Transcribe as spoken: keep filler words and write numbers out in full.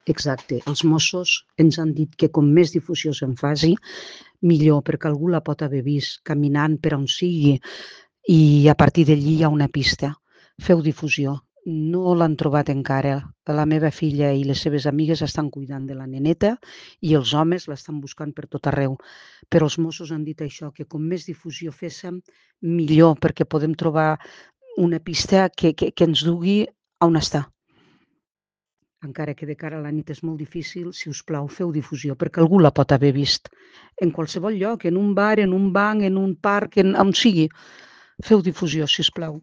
Exacte. Els Mossos ens han dit que com més difusió se'n faci, millor, perquè algú la pot haver vist caminant per on sigui i a partir d'allí hi ha una pista. Feu difusió. No l'han trobat encara. La meva filla i les seves amigues estan cuidant de la neneta i els homes l'estan buscant per tot arreu. Però els Mossos han dit això, que com més difusió féssim, millor, perquè podem trobar una pista que, que, que ens dugui a on està. Encara que de cara a la nit és molt difícil, si us plau, feu difusió, perquè algú la pot haver vist. En qualsevol lloc, en un bar, en un banc, en un parc, en, on sigui. Feu difusió, si us plau.